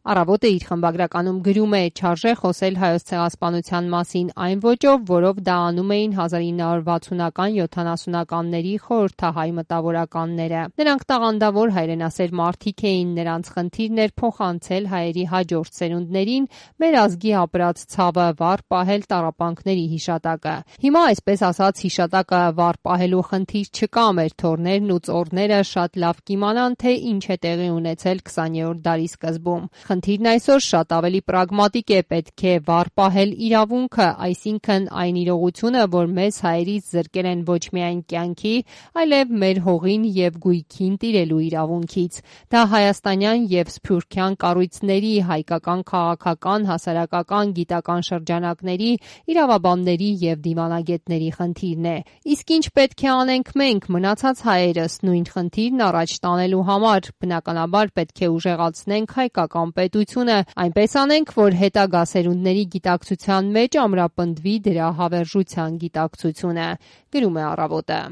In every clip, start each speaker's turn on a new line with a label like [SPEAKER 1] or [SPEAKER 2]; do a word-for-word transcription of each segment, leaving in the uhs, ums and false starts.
[SPEAKER 1] Առավոտը իր խմբագրականում գրում է. «Չարժե խոսել Հայոց ցեղասպանության մասին այն ոճով, որով դա անում էին հազար ինը հարյուր վաթսունական յոթանասունականների խորհրդահայ մտավորականները։ Նրանք տաղանդավոր հայրենասեր մարդիկ էին, նրանց խնդիրն էր փոխանցել հայերի հաջորդ սերունդներին մեր ազգի ապրած ցավը, վառ պահել տառապանքների հիշատակը։ Հիմա, այսպես ասած, հիշատակը վառ պահելու խնդիր չկա, մեր թոռներն ու ծոռները շատ լավ կիմանան, թե ինչ է տեղի ունեցել քսաներորդ դարի սկզբում։ Խնդիրն այսօր շատ ավելի պրագմատիկ է, պետք է վառ պահել իրավունքը, այսինքն այն իրողությունը, որ մեզ հայերից զրկել են ոչ միայն կյանքի, այլև մեր հողին և գույքին տիրելու իրավունքից։ Դա հայաստանյան և սփյուռքյան կառույցների, հայկական քաղաքական, հասարակական, գիտական շրջանակների, իրավաբանների և դիվանագետների խնդիրն է։ Իսկ ինչ պետք է անենք մենք, մնացած հայերս, նույն խնդիրն առաջ տանելու համար։ Բնականաբար պետք է ուժեղացնենք հայկական պետությունը, այնպես անենք, որ հետագա սերունդների գիտակցության մեջ ամրապնդվի դրա հավերժության գիտակցությունը», գրում է Առավոտը։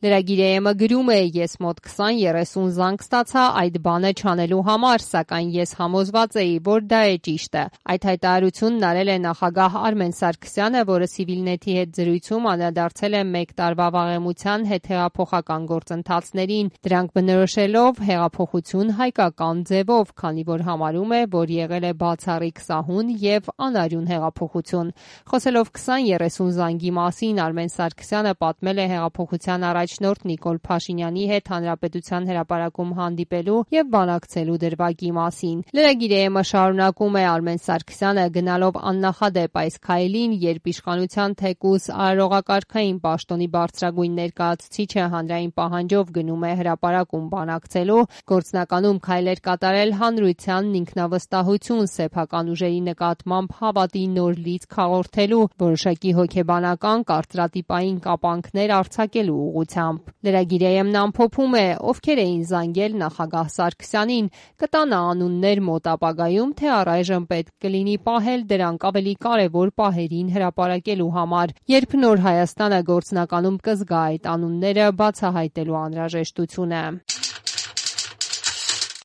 [SPEAKER 1] Լրագիր-ը գրում է. «Ես մոտ քսան երեսուն զանգ ստացա այդ բանը չանելու համար, սակայն ես համոզված էի, որ դա է ճիշտը»։ Այդ հայտարարությունն արել է նախագահ Արմեն Սարգսյանը, որը Civilnet-ի հետ զրույցում անդրադարձել է մեկ տարվա վաղեմության հետհեղափոխական գործընթացներին, դրանք բնորոշելով հեղափոխություն հայկական ձևով, քանի որ համարում է, որ եղել է բացառիկ սահուն և անարյուն հեղափոխություն։ Խոսելով քսան երեսուն զանգի մասին, Արմեն Սարգսյանը պատմել է հեղափոխության առաջնորդ Նիկոլ Փաշինյանի հետ Հանրապետության հրապարակում հանդիպելու և բանակցելու դրվագի մասին։ Լրագիր-ը շարունակում է. «Արմեն Սարգսյանը գնալով աննախադեպ այս քայլին, երբ իշխանության թեկուզ արարողակարգային պաշտոնի բարձրագույն ներկայացուցիչը հանրային պահանջով գնում է հրապարակում բանակցելու, գործնականում քայլ էր կատարել հանրությանն ինքնավստահություն, սեփական ուժերի նկատմամբ հավատի նոր լիցք հաղորդելու, որոշակի հոգեբանական, կարծրատիպային կապանքներ արձակելու ուղղությամբ»։ Լրագիր-ն ամփոփում է. «Ովքեր էին զանգել նախագահ Սարգսյանին, կտան անուններ մոտ ապագայում, թե առայժմ պետք կլինի պահել դրանք ավելի կարևոր պահերին հրապարակելու համար, երբ նոր Հայաստանը գործնականում կզգա այդ անունները բացահայտելու անհրաժեշտությունը»։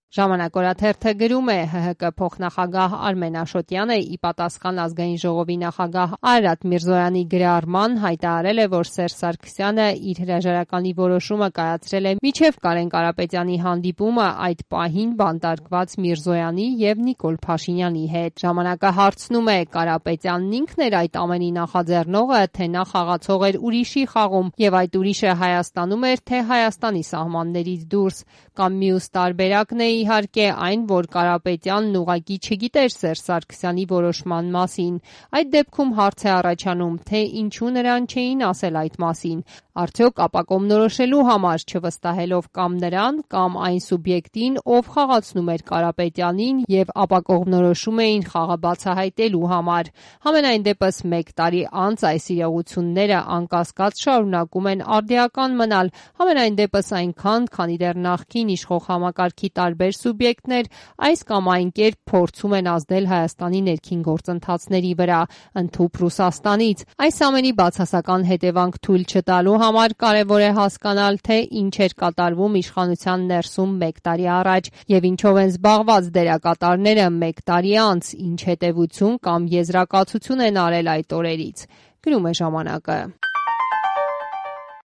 [SPEAKER 1] Ժամանակ օրաթերթը գրում է. «ՀՀԿ փոխնախագահ Արմեն Աշոտյանը ի պատասխան Ազգային ժողովի նախագահ Արարատ Միրզոյանի գրառման հայտարարել է, որ Սերժ Սարգսյանը իր հրաժարականի որոշումը կայացրել է մինչև Կարեն Կարապետյանի հանդիպումը այդ պահին բանտարկված Միրզոյանի և Նիկոլ Փաշինյանի հետ։ Ժամանակը հարցնում է. Կարապետյանն ինքն էր այդ ամենի նախաձեռնողը, թե նա խաղացող էր ուրիշի խաղում, և այդ ուրիշը Հայաստանում էր, թե Հայաստանի սահմաններից դուրս, կամ մյուս տարբերակն է իհարկե այն, որ Կարապետյանն ուղղակի չգիտեր Սերժ Սարգսյանի որոշման մասին։ Այդ դեպքում հարց է առաջանում, թե ինչու նրան չէին ասել այդ մասին։ Արդյոք ապակողմնորոշելու համար, չվստահելով կամ նրան, կամ այն սուբյեկտին, ով խաղացնում էր Կարապետյանին և ապակողմնորոշում էին խաղը բացահայտելու համար։ Համենայն դեպս մեկ տարի անց այս իրողությունները անկասկած շարունակում են արդիական մնալ, համենայն դեպս այնքան, քանի դեռ նախկին իշխող համակարգի տարբեր սուբյեկտներ այս կամ այն կերպ փորձում են ազդել Հայաստանի ներքին գործընթացների վրա, ընդհուպ Ռուսաստանից։ Այս ամենի բացասական հետևանք թույլ չտալու համար կարևոր է հասկանալ, թե ինչ էր կատարվում իշխանության ներսում մեկ տարի առաջ և ինչով են զբաղված դերակատարները մեկ տարի անց, ինչ հետևություն կամ եզրակացություն են արել այդ օրերից, գրում է ժամանակը։